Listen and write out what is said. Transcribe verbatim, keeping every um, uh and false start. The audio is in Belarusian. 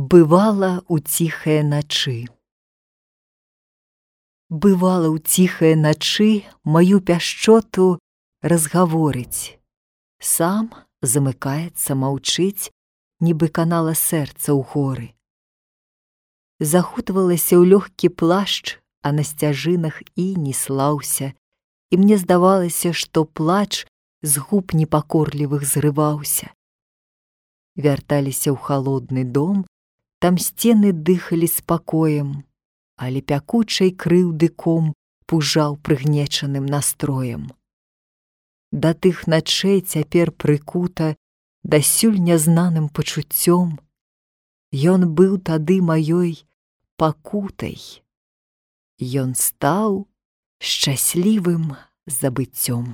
Бывала ў ціхае начы. Бывала ў ціхае начы маю пяшчоту разгаворыць. Сам замыкаецца, маўчыць, нібы канала сэрца ў горы. Захутвалася ў лёгкі плашч, а на сцяжынах і не слаўся, і мне здавалася, што плач з губ непакорлівых зрываўся. Вярталіся ў халодны дом, там сцены дыхалі спакоем, але пякучай крыўды ком пужаў прыгнечаным настроем. Да тых начэй цяпер прыкута дасюль нязнаным пачуццём. Ён быў тады маёй пакутай. Ён стаў шчаслівым забыццём.